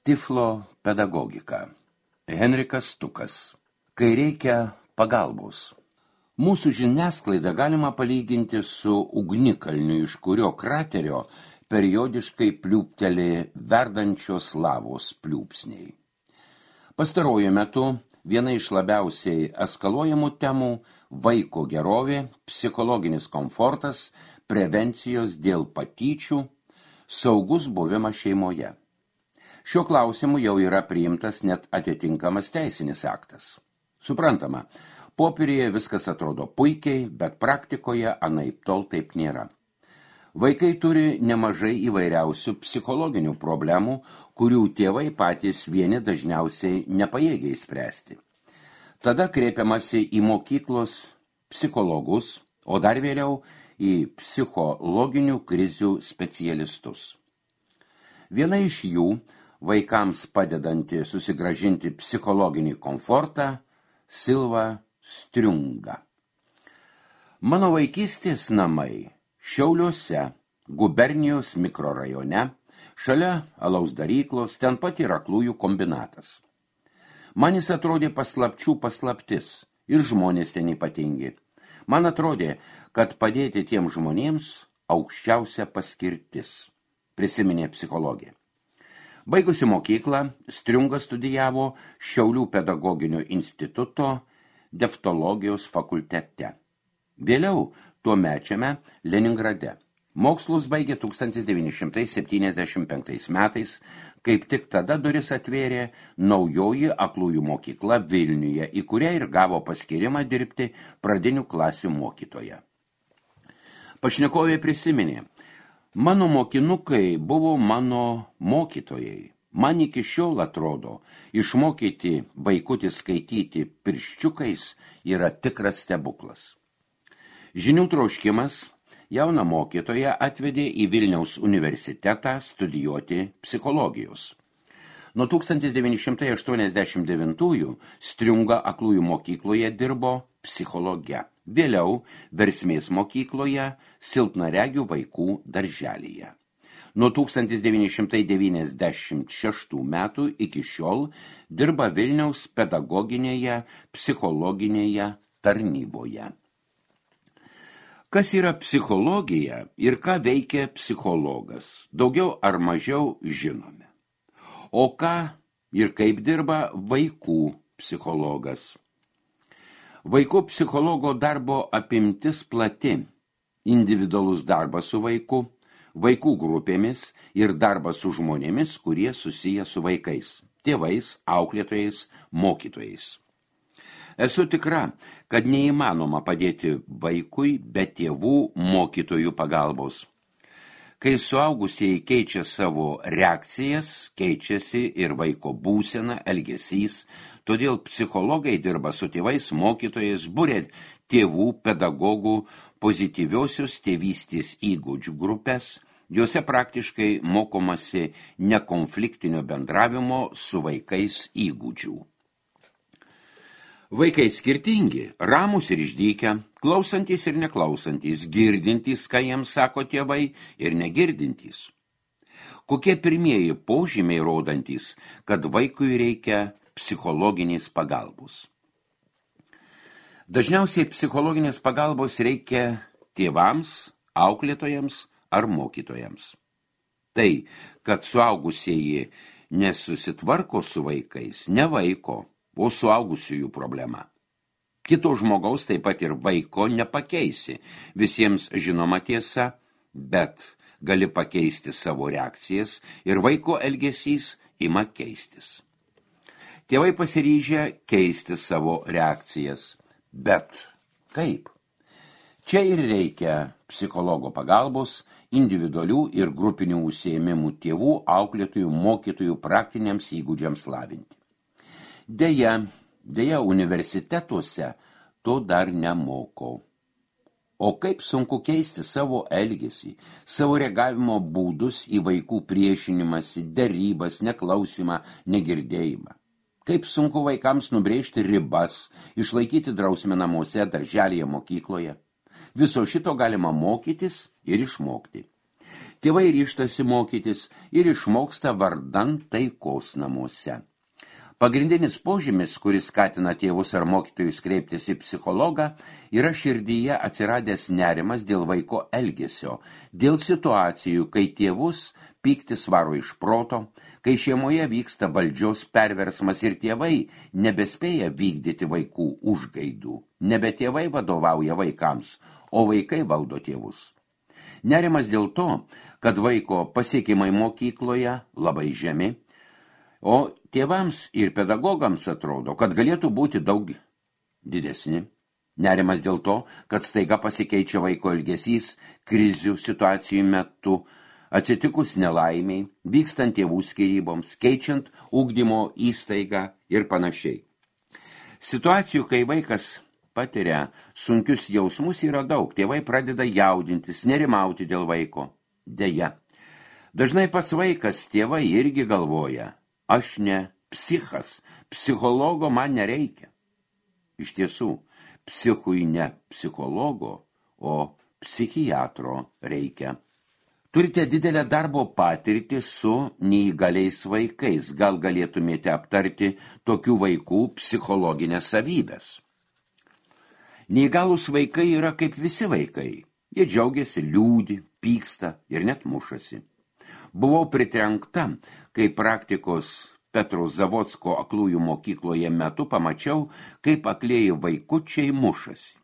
Tiflo pedagogika. Henrikas Stukas. Kai reikia pagalbos. Mūsų žiniasklaidą galima palyginti su ugnikalniu, iš kurio kraterio periodiškai pliūpteli verdančios lavos pliūpsniai. Pastaruoju metu viena iš labiausiai eskaluojamų temų – vaiko gerovė, psichologinis komfortas, prevencijos dėl patyčių, saugus buvimas šeimoje. Šiuo klausimu jau yra priimtas net atitinkamas teisinis aktas. Suprantama, popieriuje viskas atrodo puikiai, bet praktikoje anaiptol taip nėra. Vaikai turi nemažai įvairiausių psichologinių problemų, kurių tėvai patys vieni dažniausiai nepajėgia spręsti. Tada kreipiamasi į mokyklos psichologus, o dar vėliau į psichologinių krizių specialistus. Viena iš jų, vaikams padedanti susigrąžinti psichologinį komfortą, Silva Striunga. Mano vaikystės namai Šiauliuose, gubernijos mikrorajone, šalia alaus daryklos, ten pat yra aklųjų kombinatas. Man jis atrodė paslapčių paslaptis ir žmonės ten ypatingi. Man atrodė, kad padėti tiem žmonėms aukščiausia paskirtis, prisiminė psichologė. Baigusi mokyklą, Striunga studijavo Šiaulių pedagoginio instituto deftologijos fakultete. Vėliau tuomečiame Leningrade. Mokslus baigė 1975 metais, kaip tik tada duris atvėrė naujoji aklųjų mokykla Vilniuje, į kurią ir gavo paskyrimą dirbti pradinių klasių mokytoja. Pašnekovė prisiminė, mano mokinukai buvo mano mokytojai. Man iki šiol atrodo, išmokyti vaikutį skaityti pirščiukais yra tikras stebuklas. Žinių troškimas jauną mokytoją atvedė į Vilniaus universitetą studijuoti psichologijos. Nuo 1989 Striunga aklųjų mokykloje dirbo psichologe. Vėliau versmės mokykloje silpnaregių vaikų darželyje. Nuo 1996 metų iki šiol dirba Vilniaus pedagoginėje, psichologinėje tarnyboje. Kas yra psichologija ir ką veikia psichologas, daugiau ar mažiau žinome. O ką ir kaip dirba vaikų psichologas? Vaikų psichologo darbo apimtis plati, individualus darbas su vaiku, vaikų grupėmis ir darbas su žmonėmis, kurie susiję su vaikais, tėvais, auklėtojais, mokytojais. Esu tikra, kad neįmanoma padėti vaikui be tėvų mokytojų pagalbos. Kai suaugusieji keičia savo reakcijas, keičiasi ir vaiko būsena, elgesys, todėl psichologai dirba su tėvais, mokytojais, buria tėvų, pedagogų, pozityviosios tėvystės įgūdžių grupės, juose praktiškai mokomasi nekonfliktinio bendravimo su vaikais įgūdžių. Vaikai skirtingi, ramūs ir išdykę, klausantys ir neklausantys, girdintys, ką jiems sako tėvai, ir negirdintys. Kokie pirmieji požymiai rodantys, kad vaikui reikia psichologinės pagalbos? Dažniausiai psichologinės pagalbos reikia tėvams, auklėtojams ar mokytojams. Tai, kad suaugusieji nesusitvarko su vaikais, ne vaiko, o suaugusiųjų problema. Kito žmogaus, taip pat ir vaiko, nepakeisi. Visiems žinoma tiesa, bet gali pakeisti savo reakcijas ir vaiko elgesys ima keistis. Tėvai pasiryžę keisti savo reakcijas, bet kaip? Čia ir reikia psichologo pagalbos, individualių ir grupinių užsiėmimų tėvų, auklėtojų, mokytojų praktiniams įgūdžiams lavinti. Deja, universitetuose to dar nemoko. O kaip sunku keisti savo elgesį, savo reagavimo būdus į vaikų priešinimąsi, derybas, neklausimą, negirdėjimą. Kaip sunku vaikams nubrėžti ribas, išlaikyti drausmę namuose, darželyje, mokykloje. Viso šito galima mokytis ir išmokti. Tėvai ryžtasi mokytis ir išmoksta vardan taikos namuose. Pagrindinis požymis, kuris skatina tėvus ar mokytojus kreiptis į psichologą, yra širdyje atsiradęs nerimas dėl vaiko elgesio, dėl situacijų, kai tėvus pyktis varo iš proto, kai šeimoje vyksta valdžios perversmas ir tėvai nebespėja vykdyti vaikų užgaidų. Nebe tėvai vadovauja vaikams, o vaikai valdo tėvus. Nerimas dėl to, kad vaiko pasiekimai mokykloje labai žemi, o tėvams ir pedagogams atrodo, kad galėtų būti daug didesni. Nerimas dėl to, kad staiga pasikeičia vaiko elgesys krizių situacijų metu, atsitikus nelaimiai, vykstant tėvų skyryboms, keičiant ugdymo įstaigą ir panašiai. Situacijų, kai vaikas patiria sunkius jausmus, yra daug. Tėvai pradeda jaudintis, nerimauti dėl vaiko. Deja, dažnai pats vaikas tėvai irgi galvoja, aš ne psichas, psichologo man nereikia. Iš tiesų, psichui ne psichologo, o psichiatro reikia. Turite didelę darbo patirtį su neįgaliais vaikais. Gal galėtumėte aptarti tokių vaikų psichologinės savybės? Neįgalūs vaikai yra kaip visi vaikai. Jie džiaugiasi, liūdi, pyksta ir net mušasi. Buvau pritrenkta, kai praktikos Petro Zavodsko aklųjų mokykloje metu pamačiau, kaip aklieji vaikučiai mušasi.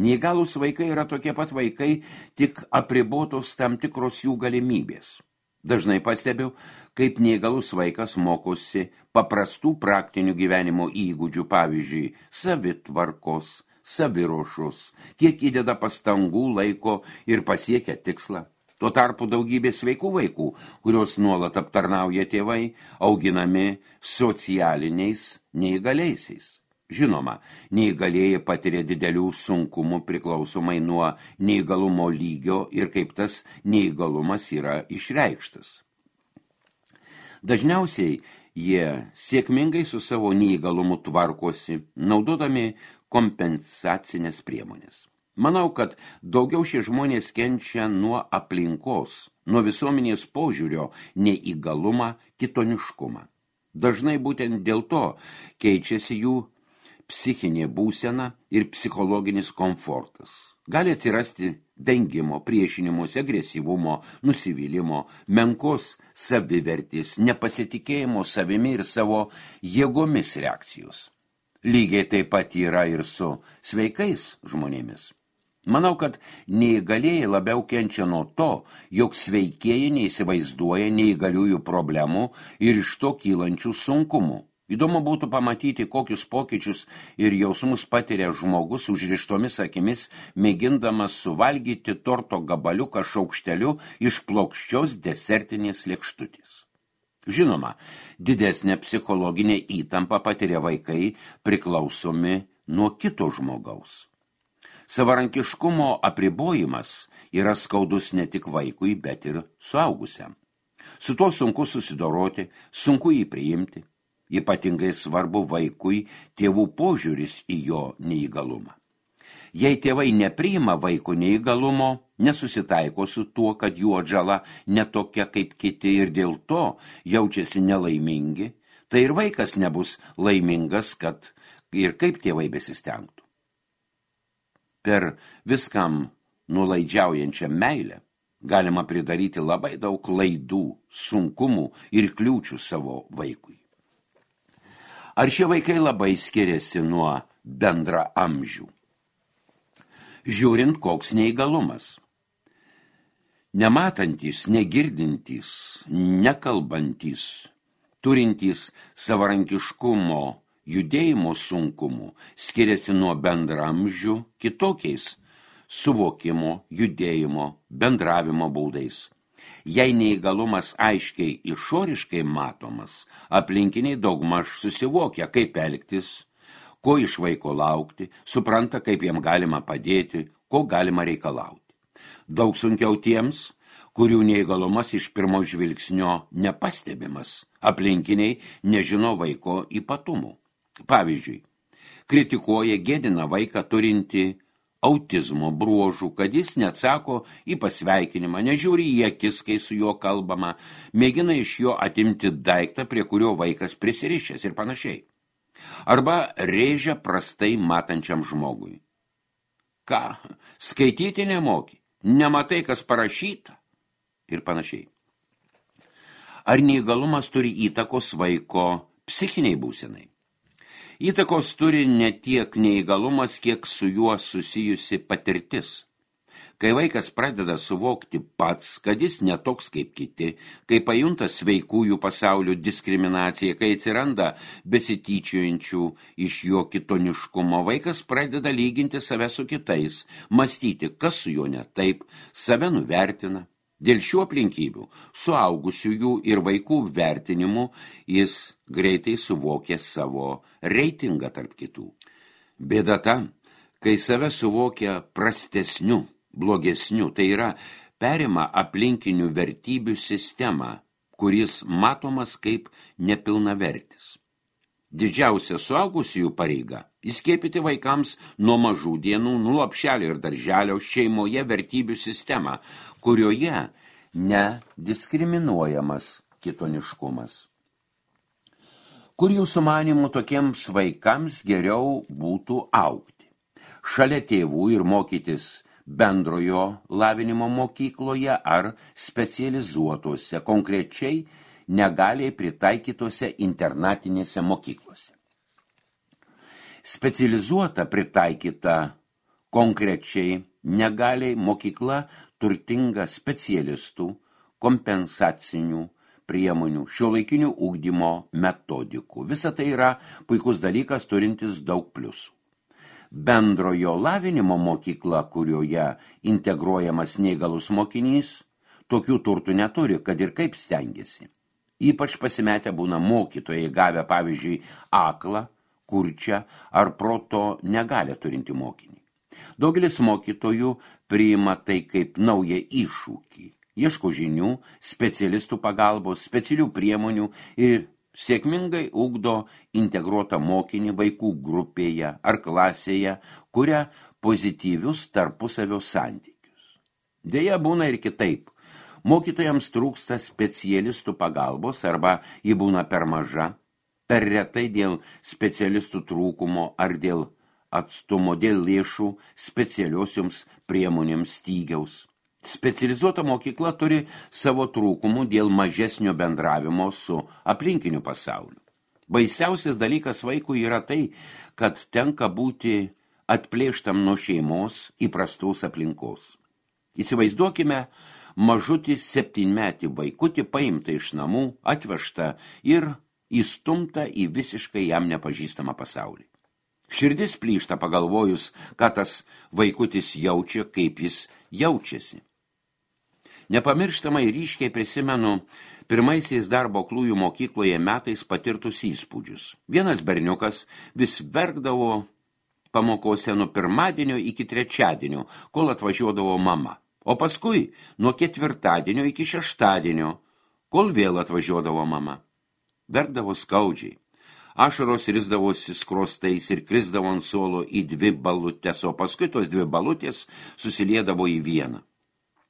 Neįgalūs vaikai yra tokie pat vaikai, tik apribotos tam tikros jų galimybės. Dažnai pastebiu, kaip neįgalus vaikas mokosi paprastų praktinių gyvenimo įgūdžių, pavyzdžiui, savitvarkos, saviruošos, kiek įdeda pastangų, laiko ir pasiekia tikslą. Tuo tarpu daugybė sveikų vaikų, kurios nuolat aptarnauja tėvai, auginami socialiniais neįgaliaisiais. Žinoma, neįgalieji patiria didelių sunkumų priklausomai nuo neįgalumo lygio ir kaip tas neįgalumas yra išreikštas. Dažniausiai jie sėkmingai su savo neįgalumu tvarkosi, naudodami kompensacinės priemonės. Manau, kad daugiau šie žmonės kenčia nuo aplinkos, nuo visuomenės požiūrio neįgalumą, kitoniškumą. Dažnai būtent dėl to keičiasi jų psichinė būsena ir psichologinis komfortas. Gali atsirasti vengimo, priešinimuose, agresyvumo, nusivylimo, menkos savivertės, nepasitikėjimo savimi ir savo jėgomis reakcijos. Lygiai taip pat yra ir su sveikais žmonėmis. Manau, kad neįgalieji labiau kenčia nuo to, jog sveikieji neįsivaizduoja neįgaliųjų problemų ir iš to kylančių sunkumų. Įdomu būtų pamatyti, kokius pokyčius ir jausmus patiria žmogus užrištomis akimis, mėgindamas suvalgyti torto gabaliuką šaukšteliu iš plokščios desertinės lėkštutės. Žinoma, didesnė psichologinė įtampa patiria vaikai priklausomi nuo kito žmogaus. Savarankiškumo apribojimas yra skaudus ne tik vaikui, bet ir suaugusiam. Su tuo sunku susidoroti, sunku jį priimti. Ypatingai svarbu vaikui tėvų požiūris į jo neįgalumą. Jei tėvai nepriima vaiko neįgalumo, nesusitaiko su tuo, kad jų atžala netokia kaip kiti ir dėl to jaučiasi nelaimingi, tai ir vaikas nebus laimingas, kad ir kaip tėvai besistengtų. Per viskam nulaidžiaujančią meilę galima pridaryti labai daug klaidų, sunkumų ir kliūčių savo vaikui. Ar šie vaikai labai skiriasi nuo bendra amžių? Žiūrint, koks neįgalumas. Nematantys, negirdintys, nekalbantys, turintys savarankiškumo, judėjimo sunkumų, skiriasi nuo bendramžių kitokiais suvokimo, judėjimo, bendravimo būdais. Jei neįgalumas aiškiai išoriškai matomas, aplinkiniai daugmaž susivokia, kaip elgtis, ko iš vaiko laukti, supranta, kaip jam galima padėti, ko galima reikalauti. Daug sunkiau tiems, kurių neįgalumas iš pirmo žvilgsnio nepastebimas, aplinkiniai nežino vaiko ypatumų. Pavyzdžiui, kritikuoja, gėdina vaiką turinti autizmo bruožų, kad jis neatsako į pasveikinimą, nežiūri į akis, kai su juo kalbama, mėgina iš jo atimti daiktą, prie kurio vaikas prisirišęs ir panašiai. Arba rėžia prastai matančiam žmogui. Ką, skaityti nemoki, nematai, kas parašyta ir panašiai. Ar neįgalumas turi įtakos vaiko psichiniai būsenai? Įtakos turi ne tiek neįgalumas, kiek su juo susijusi patirtis. Kai vaikas pradeda suvokti pats, kad jis netoks kaip kiti, kai pajunta sveikųjų pasaulių diskriminaciją, kai atsiranda besityčiojančių iš jo kitoniškumo, vaikas pradeda lyginti save su kitais, mąstyti, kas su juo ne taip, save nuvertina. Dėl šių aplinkybių, suaugusiųjų ir vaikų vertinimų, jis greitai suvokė savo reitingą tarp kitų. Bėda ta, kai save suvokia prastesniu, blogesniu, tai yra perima aplinkinių vertybių sistemą, kuris matomas kaip nepilnavertis. Didžiausia suaugusiųjų pareiga – įskiepyti vaikams nuo mažų dienų, nuo lopšelio ir darželio šeimoje vertybių sistemą, kurioje nediskriminuojamas kitoniškumas. Kur jūsų manymų tokiems vaikams geriau būtų augti? Šalia tėvų ir mokytis bendrojo lavinimo mokykloje ar specializuotose, konkrečiai negaliai pritaikytose internatinėse mokyklose. Specializuota pritaikyta konkrečiai negaliai mokykla turtinga specialistų, kompensacinių priemonių, šiuolaikinių ugdymo metodikų. Visa tai yra puikus dalykas turintis daug pliusų. Bendrojo lavinimo mokykla, kurioje integruojamas neįgalus mokinys, tokių turtų neturi, kad ir kaip stengiasi. Ypač pasimetę būna mokytojai gavę, pavyzdžiui, aklą, kurčią ar proto negalią turinti mokinį. Daugelis mokytojų priima tai kaip naują iššūkį, ieško žinių, specialistų pagalbos, specialių priemonių ir sėkmingai ugdo integruotą mokinį vaikų grupėje ar klasėje, kuria pozityvius tarpusavio santykius. Deja, būna ir kitaip. Mokytojams trūksta specialistų pagalbos arba ji būna per maža, per retai dėl specialistų trūkumo ar dėl atstumo, dėl lėšų specialiosioms priemonėms stygiaus. Specializuota mokykla turi savo trūkumų dėl mažesnio bendravimo su aplinkiniu pasauliu. Baisiausias dalykas vaikui yra tai, kad tenka būti atplėštam nuo šeimos įprastos aplinkos. Įsivaizduokime, mažutį 7-metį vaikutį paimta iš namų, atvežta ir įstumta į visiškai jam nepažįstamą pasaulį. Širdis plyšta pagalvojus, ką tas vaikutis jaučia, kaip jis jaučiasi. Nepamirštamai ryškiai prisimenu pirmaisiais darbo aklųjų mokykloje metais patirtus įspūdžius. Vienas berniukas vis verkdavo pamokose nuo pirmadienio iki trečiadienio, kol atvažiuodavo mama. O paskui nuo ketvirtadienio iki šeštadienio, kol vėl atvažiuodavo mama. Verkdavo skaudžiai. Ašaros risdavosi skrostais ir krisdavo ant suolo į 2 balutes, o paskui tos 2 balutės susiliedavo į vieną.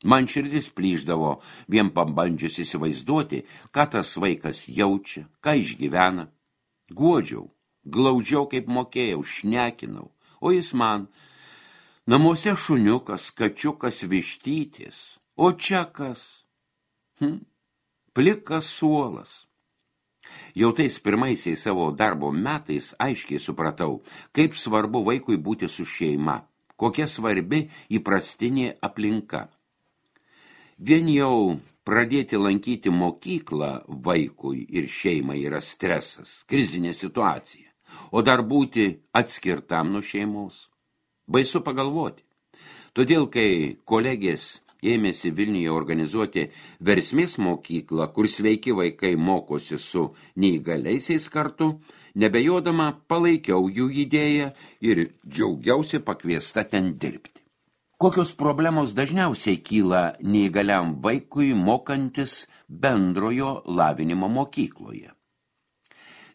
Man širdis plyšdavo, vien pabandžius įsivaizduoti, ką tas vaikas jaučia, ką išgyvena. Guodžiau, glaudžiau kaip mokėjau, šnekinau, o jis man: namuose šuniukas, kačiukas, vištytis, o čia kas? Plikas suolas. Jau tais pirmaisiais savo darbo metais aiškiai supratau, kaip svarbu vaikui būti su šeima, kokia svarbi įprastinė aplinka. Vien jau pradėti lankyti mokyklą vaikui ir šeimai yra stresas, krizinė situacija, o dar būti atskirtam nuo šeimos. Baisu pagalvoti. Todėl, kai kolegės ėmėsi Vilniuje organizuoti versmės mokyklą, kur sveiki vaikai mokosi su neįgaliaisiais kartu, nebejodama palaikiau jų idėją ir džiaugiausi pakviesta ten dirbti. Kokios problemos dažniausiai kyla neįgaliam vaikui mokantis bendrojo lavinimo mokykloje?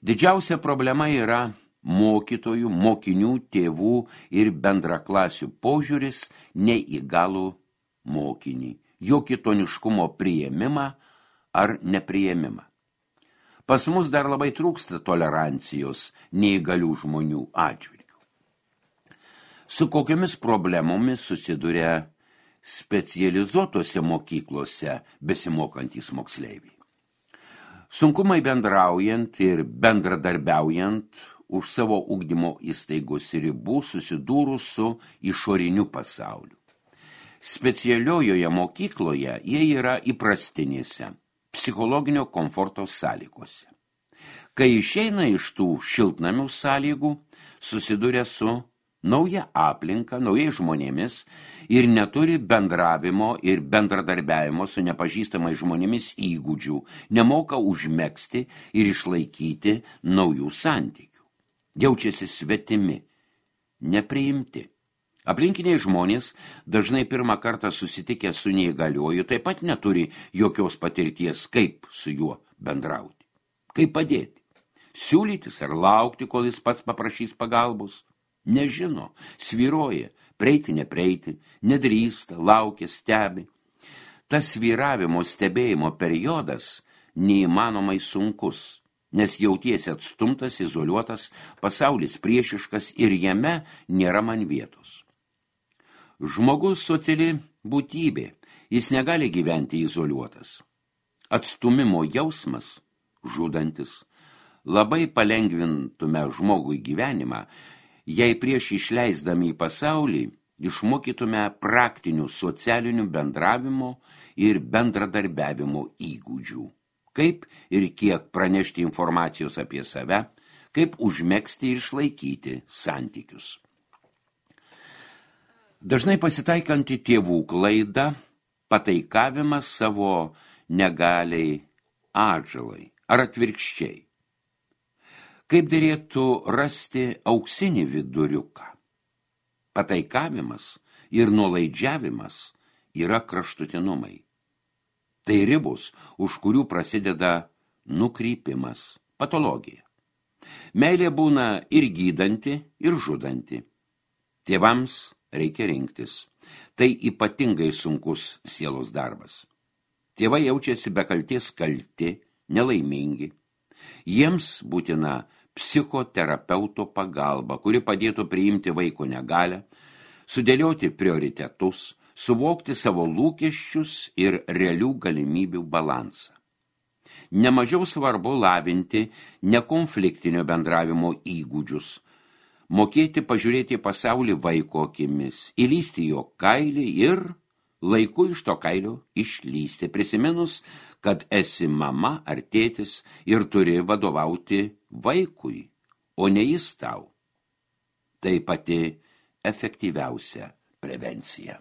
Didžiausia problema yra mokytojų, mokinių, tėvų ir bendraklasių požiūris neįgalų mokinį, jo kitoniškumo priėmimą ar nepriėmimą. Pas mus dar labai trūksta tolerancijos neįgalių žmonių atžvilgių. Su kokiamis problemomis susiduria specializuotose mokyklose besimokantys moksleiviai. Sunkumai bendraujant ir bendradarbiaujant už savo ugdymo įstaigos ribų susidūrus su išoriniu pasauliu. Specialiojoje mokykloje jie yra įprastinėse, psichologinio komforto sąlygose. Kai išeina iš tų šiltnamių sąlygų, susiduria su nauja aplinka, naujai žmonėmis ir neturi bendravimo ir bendradarbiavimo su nepažįstamais žmonėmis įgūdžių, nemoka užmegzti ir išlaikyti naujų santykių. Jaučiasi svetimi, nepriimti. Aplinkiniai žmonės, dažnai pirmą kartą susitikę su neįgaliuoju, taip pat neturi jokios patirties, kaip su juo bendrauti, kaip padėti, siūlytis ar laukti, kol jis pats paprašys pagalbos. Nežino, svyruoja, prieiti, neprieiti, nedrįsta, laukia, stebi. Tas svyravimo stebėjimo periodas neįmanomai sunkus, nes jautiesi atstumtas, izoliuotas, pasaulis priešiškas ir jame nėra man vietos. Žmogus sociali būtybė, jis negali gyventi izoliuotas. Atstumimo jausmas, žudantis, labai palengvintume žmogui gyvenimą, jei prieš išleisdami į pasaulį išmokytume praktinių socialinių bendravimo ir bendradarbiavimo įgūdžių. Kaip ir kiek pranešti informacijos apie save, kaip užmegzti ir išlaikyti santykius. Dažnai pasitaikanti tėvų klaida, pataikavimas savo negaliai atžalai ar atvirkščiai. Kaip derėtų rasti auksinį viduriuką? Pataikavimas ir nuolaidžiavimas yra kraštutinumai. Tai ribos, už kurių prasideda nukrypimas, patologija. Meilė būna ir gydanti, ir žudanti. Tėvams reikia rinktis. Tai ypatingai sunkus sielos darbas. Tėvai jaučiasi be kaltės kalti, nelaimingi. Jiems būtina psichoterapeuto pagalba, kuri padėtų priimti vaiko negalią, sudėlioti prioritetus, suvokti savo lūkesčius ir realių galimybių balansą. Nemažiau svarbu lavinti nekonfliktinio bendravimo įgūdžius, mokėti pažiūrėti pasaulį vaiko akimis, įlysti jo kailį ir laiku iš to kailio išlysti, prisiminus, kad esi mama ar tėtis ir turi vadovauti vaikui, o ne jis tau. Tai pati efektyviausia prevencija.